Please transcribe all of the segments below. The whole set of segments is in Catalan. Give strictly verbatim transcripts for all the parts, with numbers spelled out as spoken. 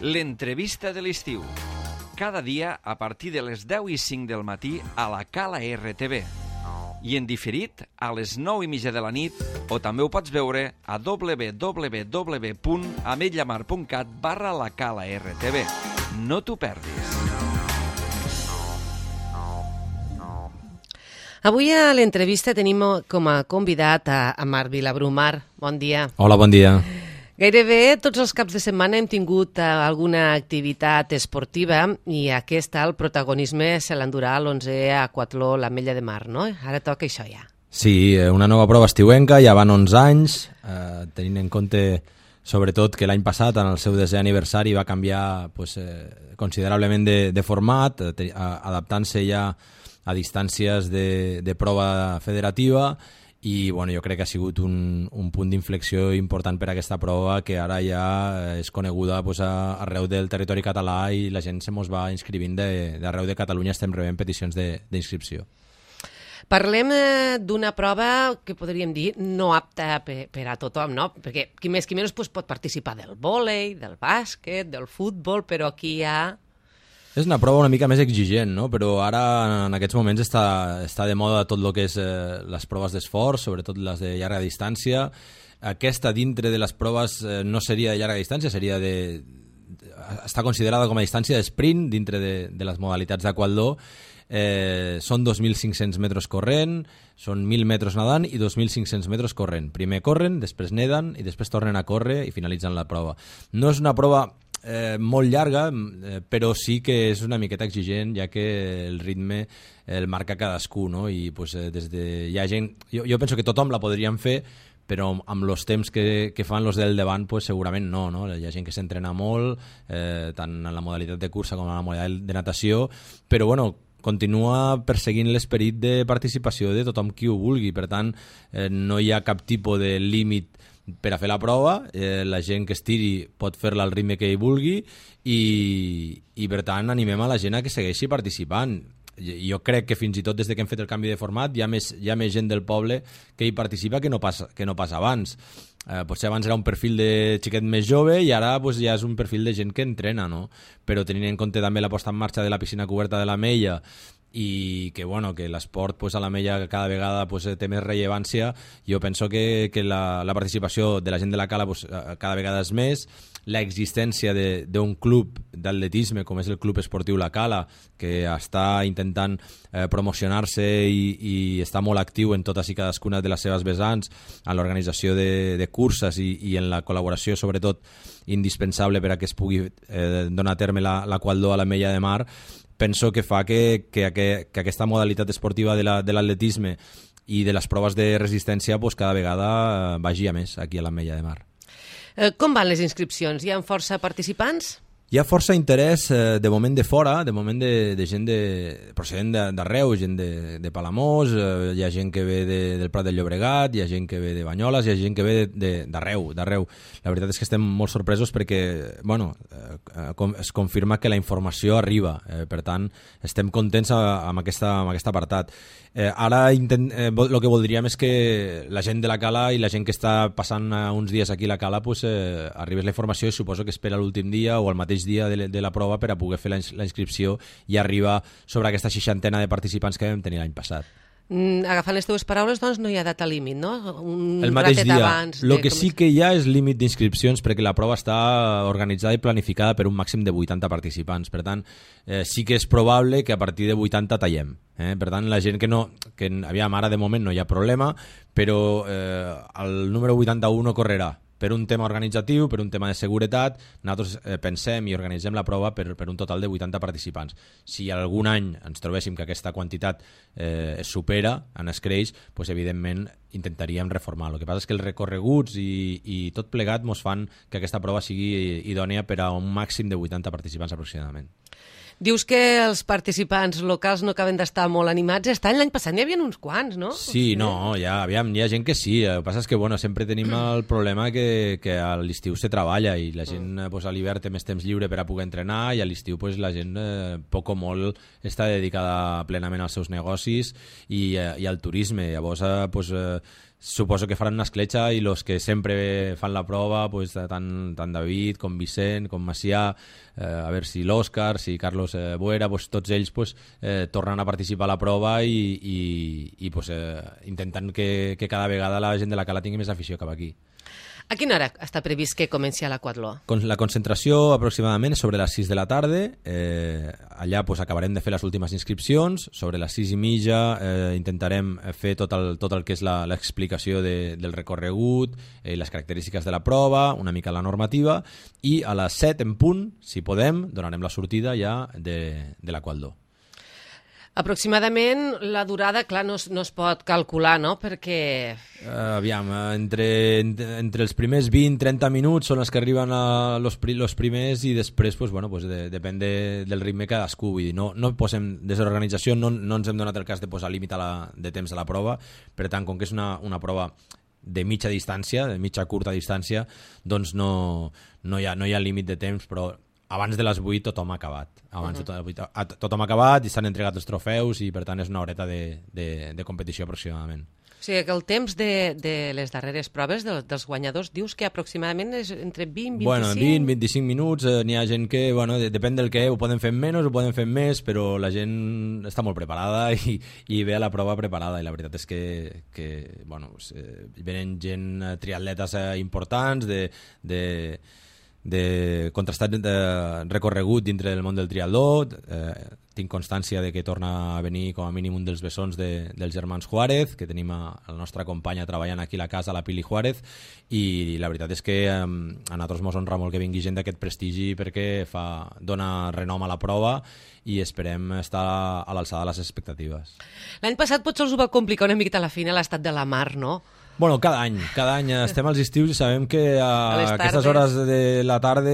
L'entrevista de l'estiu. Cada dia a partir de les deu i cinc del matí a la Cala R T V. I en diferit a les nou i mitja de la nit, o també ho pots veure a w w w punt ametlllamar punt cat barra la Cala R T V. No t'ho perdis. Avui a l'entrevista tenim com a convidat a, a Marc Vilabrú. Bon dia. Hola, bon dia. Gairebé tots els caps de setmana hem tingut alguna activitat esportiva i aquesta, el protagonisme, se l'endurà l'onze aquatló l'Ametlla de Mar, no? Ara toca això ja. Sí, una nova prova estiuenca, ja van onze anys, eh, tenint en compte sobretot que l'any passat, en el seu desè aniversari, va canviar pues, eh, considerablement de, de format, eh, adaptant-se ja a distàncies de, de prova federativa, i bueno, jo crec que ha sigut un, un punt d'inflexió important per a aquesta prova que ara ja és coneguda pues, a, arreu del territori català i la gent se mos va inscrivint d'arreu de Catalunya, estem rebent peticions d'inscripció. Parlem eh, d'una prova que podríem dir no apta per, per a tothom, no? Perquè qui més qui menys pues, pot participar del vòlei, del bàsquet, del futbol, però aquí hi ha... És una prova una mica més exigent, no? Però ara en aquests moments està, està de moda tot el que és eh, les proves d'esforç, sobretot les de llarga distància. Aquesta dintre de les proves eh, no seria de llarga distància, seria de... està considerada com a distància d'esprint dintre de, de les modalitats d'aquatló. Eh, són dos mil cinc-cents metres corrent, són mil metres nedant i dos mil cinc-cents metres corrent. Primer corren, després neden i després tornen a córrer i finalitzen la prova. No és una prova Eh, molt llarga, eh, però sí que és una miqueta exigent, ja que el ritme el marca cadascú, no? I pues, eh, des de... hi ha gent... Jo, jo penso que tothom la podríem fer, però amb els temps que, que fan els del davant pues, segurament no, no? Hi ha gent que s'entrena molt, eh, tant en la modalitat de cursa com en la modalitat de natació, però bueno, continua perseguint l'esperit de participació de tothom qui ho vulgui, per tant eh, no hi ha cap tipus de límit per a fer la prova, eh, la gent que estiri pot fer-la al ritme que hi vulgui i, i per tant animem a la gent a que segueixi participant. Jo crec que fins i tot des de que hem fet el canvi de format hi ha més, hi ha més gent del poble que hi participa que no pas, que no pas abans. Eh, potser abans era un perfil de xiquet més jove i ara pues, ja és un perfil de gent que entrena, no? Però tenint en compte també la posta en marxa de la piscina coberta de l'Ametlla i que, bueno, que l'esport pues, a l'Ametlla cada vegada pues, té més rellevància, jo penso que, que la, la participació de la gent de la Cala pues, cada vegada és més, l'existència d'un club d'atletisme com és el Club Esportiu La Cala, que està intentant eh, promocionar-se i, i està molt actiu en totes i cadascuna de les seves vessants, en l'organització de, de curses i, i en la col·laboració sobretot indispensable per a que es pugui eh, donar a terme l'aquatló a l'Ametlla de Mar, penso que fa que, que, que, que aquesta modalitat esportiva de l'atletisme la, i de les proves de resistència pues, cada vegada vagi a més aquí a l'Ametlla de Mar. Eh, com van les inscripcions? Hi ha força participants? Hi ha força interès eh, de moment de fora, de moment de, de gent de, procedent d'arreu, gent de, de Palamós, eh, hi ha gent que ve de, del Prat del Llobregat, hi ha gent que ve de Banyoles, hi ha gent que ve d'arreu, d'arreu. La veritat és que estem molt sorpresos perquè, bueno, eh, com, es confirma que la informació arriba, eh, per tant, estem contents amb, aquesta, amb aquest apartat. Eh, ara intent, eh, el que voldríem és que la gent de la Cala i la gent que està passant uns dies aquí a la Cala pues, eh, arribés la informació i suposo que espera l'últim dia o el mateix dia de, de la prova per a poder fer la, la inscripció i arribar sobre aquesta seixantena de participants que vam tenir l'any passat. Mm, agafant les teves paraules, doncs no hi ha data límit, no? Un el mateix dia. Abans el que sí que hi ha és límit d'inscripcions perquè la prova està organitzada i planificada per un màxim de vuitanta participants. Per tant, eh, sí que és probable que a partir de vuitanta tallem. Eh? Per tant, la gent que no... que aviam, ara de moment no hi ha problema, però eh, el número vuitanta-u no correrà. Per un tema organitzatiu, per un tema de seguretat, nosaltres eh, pensem i organitzem la prova per, per un total de vuitanta participants. Si algun any ens trobéssim que aquesta quantitat eh, es supera, en es creix, doncs evidentment intentaríem reformar. El que passa és que els recorreguts i, i tot plegat ens fan que aquesta prova sigui idònia per a un màxim de vuitanta participants aproximadament. Dius que els participants locals no acaben d'estar molt animats. Aquest any, l'any passat, n'hi havia uns quants, no? Sí, no, ja, aviam, hi ha gent que sí. El que passa és que bueno, sempre tenim el problema que, que a l'estiu se treballa i la gent pues, a l'hivern té més temps lliure per a poder entrenar i a l'estiu pues, la gent eh, poc o molt està dedicada plenament als seus negocis i, eh, i al turisme. Llavors, eh, pues, eh, suposo que faran una escletxa i els que sempre fan la prova, pues, tant, tant David com Vicent, com Macià, eh, a veure si l'Òscar, si Carlos eh, Buera, pues, tots ells pues, eh, tornen a participar a la prova i, i, i pues, eh, intentant que, que cada vegada la gent de la Cala tingui més afició cap aquí. A quina hora està previst que comenci a l'Aquatló? La concentració aproximadament és sobre les sis de la tarda. Eh, allà pues, acabarem de fer les últimes inscripcions. Sobre les sis i mitja eh, intentarem fer tot el, tot el que és l'explicació de, del recorregut, eh, les característiques de la prova, una mica la normativa, i a les set en punt, si podem, donarem la sortida ja de, de l'Aquatló. Aproximadament la durada, clar, no es, no es pot calcular, no?, perquè... Uh, aviam, entre, entre els primers vint a trenta minuts són els que arriben a los, los primers i després, pues, bueno, pues, de, depèn de, del ritme cadascú. Vull dir, no, no posem, des de l'organització no, no ens hem donat el cas de posar límit a la, de temps a la prova, per tant, com que és una, una prova de mitja distància, de mitja curta distància, doncs no, no, hi ha, no hi ha límit de temps, però abans de les vuit tothom ha acabat. Abans uh -huh. de vuit, tothom ha acabat i s'han entregat els trofeus i per tant és una horeta de, de, de competició aproximadament. O sigui que el temps de, de les darreres proves de, dels guanyadors dius que aproximadament és entre vint i vint-i-cinc? Bueno, vint a vint-i-cinc minuts, eh, n'hi ha gent que, bueno, de, depèn del que, ho poden fer menys, ho poden fer més, però la gent està molt preparada i, i ve a la prova preparada i la veritat és que, que bueno, pues, eh, venen gent, eh, triatletes eh, importants de... de de contrastat de recorregut dintre del món del triatló. Eh, tinc constància de que torna a venir com a mínim un dels bessons de, dels germans Juárez, que tenim a, a la nostra companya treballant aquí a la casa, la Pili Juárez, i la veritat és que eh, a nosaltres ens honra molt que vingui gent d'aquest prestigi perquè fa, dona renom a la prova i esperem estar a l'alçada de les expectatives. L'any passat potser us ho va complicar una miqueta a la fina l'estat de la mar, no? Bueno, cada any, cada any estem als estius i sabem que a, a aquestes hores de la tarda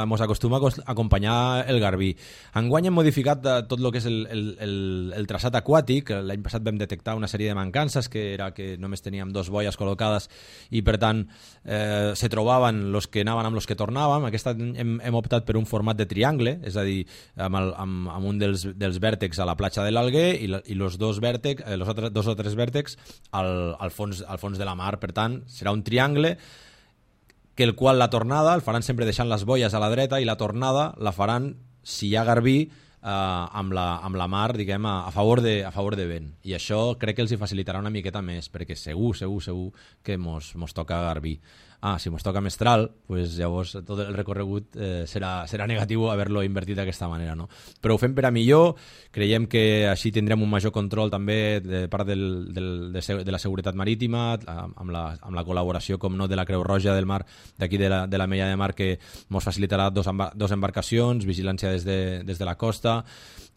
ens acostuma a acompanyar el garbí. Enguany hem modificat tot el que és el, el, el, el traçat aquàtic. L'any passat vam detectar una sèrie de mancances, que era que només teníem dos boies col·locades i per tant eh, se trobaven els que anaven amb els que tornàvem. Aquest any hem, hem optat per un format de triangle, és a dir, amb, el, amb, amb un dels, dels vèrtexs a la platja de l'Alguer i, la, i los dos vèrtex, eh, los altres, dos o tres vèrtexs al, al fons, al fons de la mar. Per tant, serà un triangle que el qual la tornada el faran sempre deixant les boies a la dreta i la tornada la faran, si hi ha garbí, eh, amb, la, amb la mar, diguem, a, a, favor de, a favor de vent. I això crec que els hi facilitarà una miqueta més, perquè segur, segur, segur que mos, mos toca garbí. Ah, si mos toca mestral, pues llavors tot el recorregut eh, serà, serà negatiu haver-lo invertit d'aquesta manera, no? Però ho fem per a millor, creiem que així tindrem un major control també de part del, del, de, de la seguretat marítima, amb la, amb la col·laboració, com no, de la Creu Roja del Mar, d'aquí de la, de la Mella de Mar, que ens facilitarà dos, dos embarcacions, vigilància des de, des de la costa,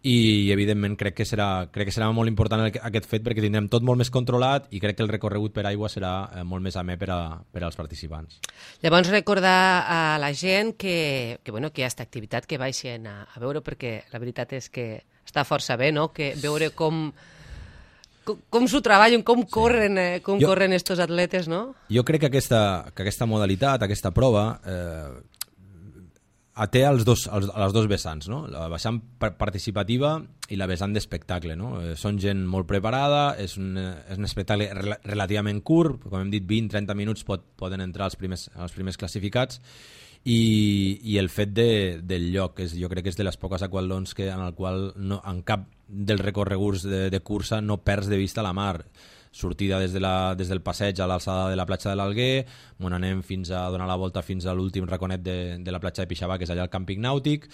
i evidentment crec que serà, crec que serà molt important aquest fet perquè tindrem tot molt més controlat i crec que el recorregut per aigua serà molt més amè per, a, per als participants. Llavors recordar a la gent que, que, bueno, que hi ha aquesta activitat que baixen a, a veure, perquè la veritat és que està força bé, no?, que veure com com, com s'ho treballen, com corren, eh, com jo, corren estos atletes, no? Jo crec que aquesta, que aquesta modalitat, aquesta prova eh, té els dos, els, els dos vessants, no? La vessant participativa i la vessant d'espectacle, no? Eh, són gent molt preparada, és un, és un espectacle rel relativament curt, com hem dit, vint a trenta minuts pot, poden entrar els primers, els primers classificats, i, i el fet de, del lloc, és, jo crec que és de les poques aquatlons que, en el qual no, en cap dels recorreguts de, de cursa no perds de vista la mar. Sortida des, de la, des del passeig a l'alçada de la platja de l'Alguer, on anem fins a donar la volta fins a l'últim raconet de, de la platja de Pixabà, que és allà al càmping nàutic,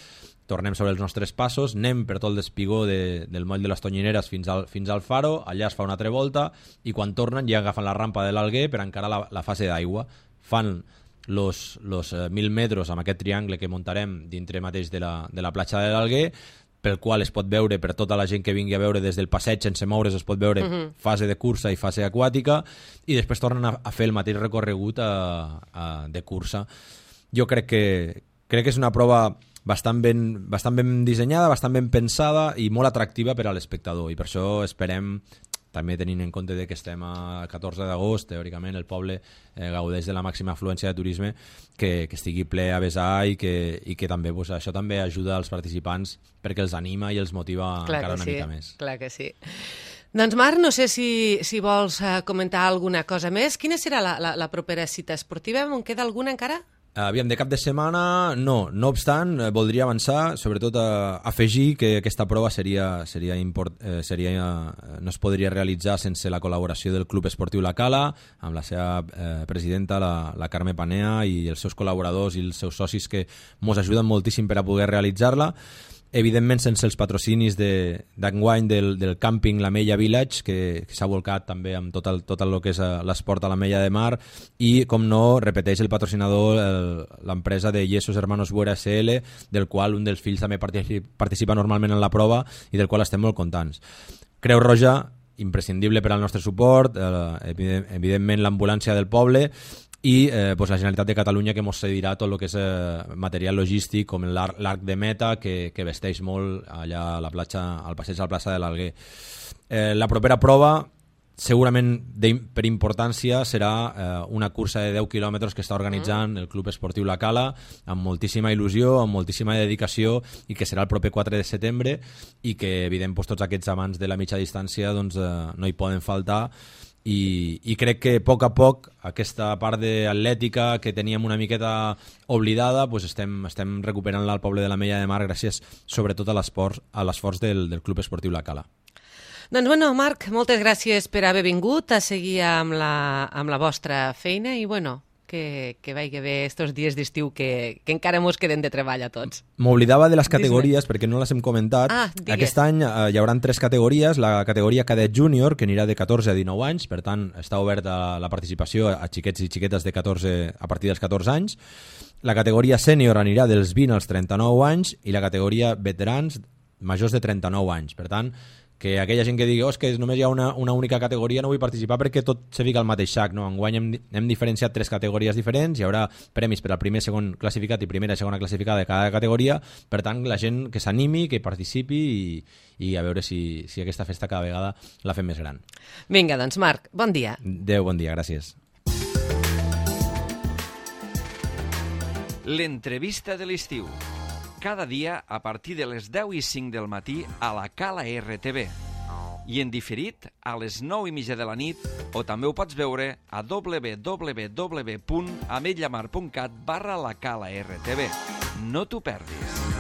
tornem sobre els nostres passos, anem per tot el despigó de, del moll de les Tonyineres fins al, fins al faro, allà es fa una altra volta, i quan tornen ja agafen la rampa de l'Alguer per encarar la, la fase d'aigua. Fan los, los eh, mil metres amb aquest triangle que muntarem dintre mateix de la, de la platja de l'Alguer, pel qual es pot veure, per tota la gent que vingui a veure des del passeig sense moure's, es pot veure uh-huh. fase de cursa i fase aquàtica, i després tornen a, a fer el mateix recorregut a, a, de cursa. Jo crec que, crec que és una prova bastant ben, bastant ben dissenyada, bastant ben pensada i molt atractiva per a l'espectador, i per això esperem, també tenint en compte que estem a catorze d'agost, teòricament el poble eh, gaudeix de la màxima afluència de turisme, que, que estigui ple a vessar i que, i que també, pues, això també ajuda als participants perquè els anima i els motiva clar encara una sí, mica més. Clar que sí. Doncs Marc, no sé si, si vols uh, comentar alguna cosa més. Quina serà la, la, la propera cita esportiva? En queda alguna encara? Aviam, de cap de setmana, no. No obstant, eh, voldria avançar, sobretot a afegir que aquesta prova seria, seria, import, eh, seria eh, no es podria realitzar sense la col·laboració del Club Esportiu La Cala, amb la seva eh, presidenta, la, la Carme Panea, i els seus col·laboradors i els seus socis que ens ajuden moltíssim per a poder realitzar-la. Evidentment sense els patrocinis d'enguany de, del, del càmping l'Ametlla Village, que, que s'ha volcat també amb tot el, tot el que és l'esport a l'Ametlla de Mar, i, com no, repeteix el patrocinador, l'empresa de Yesos Hermanos Buera S L, del qual un dels fills també participa, participa normalment en la prova i del qual estem molt contents. Creu Roja, imprescindible per al nostre suport, eh, evidentment l'ambulància del poble, i eh, pues la Generalitat de Catalunya, que ens cedirà tot el que és eh, material logístic, com l'arc de meta, que, que vesteix molt allà a la platja, al passeig a la plaça de l'Alguer. Eh, la propera prova, segurament de, per importància, serà eh, una cursa de deu quilòmetres que està organitzant el Club Esportiu La Cala, amb moltíssima il·lusió, amb moltíssima dedicació, i que serà el proper quatre de setembre, i que, evident, pues, tots aquests amants de la mitja distància doncs, eh, no hi poden faltar. I, i crec que a poc a poc aquesta part d'atlètica que teníem una miqueta oblidada, pues estem, estem recuperant-la al poble de l'Ametlla de Mar, gràcies sobretot a l'esforç del, del Club Esportiu La Cala. Doncs bueno, Marc, moltes gràcies per haver vingut a seguir amb la, amb la vostra feina, i bueno, que, que vagi bé estos dies d'estiu que, que encara mos queden de treball a tots. M'oblidava de les categories perquè no les hem comentat. Ah, Aquest any eh, hi haurà tres categories. La categoria cadet júnior, que anirà de catorze a dinou anys, per tant està oberta la participació a xiquets i xiquetes de catorze a partir dels catorze anys. La categoria sènior anirà dels vint als trenta-nou anys, i la categoria veterans majors de trenta-nou anys. Per tant, que aquella gent que digui, oh, és que només hi ha una, una única categoria, no vull participar perquè tot se fica al mateix sac. No? Enguany hem, hem diferenciat tres categories diferents, hi haurà premis per al primer, segon classificat i primera i segona classificada de cada categoria. Per tant, la gent que s'animi, que participi, i, i a veure si, si aquesta festa cada vegada la fem més gran. Vinga, doncs Marc, bon dia. Adéu, bon dia, gràcies. L'entrevista de l'estiu. Cada dia a partir de les deu i cinc del matí a la Cala R T V. I en diferit a les nou i mitja de la nit, o també ho pots veure a w w w punt ametlla mar punt cat barra la Cala R T V. No t'ho perdis.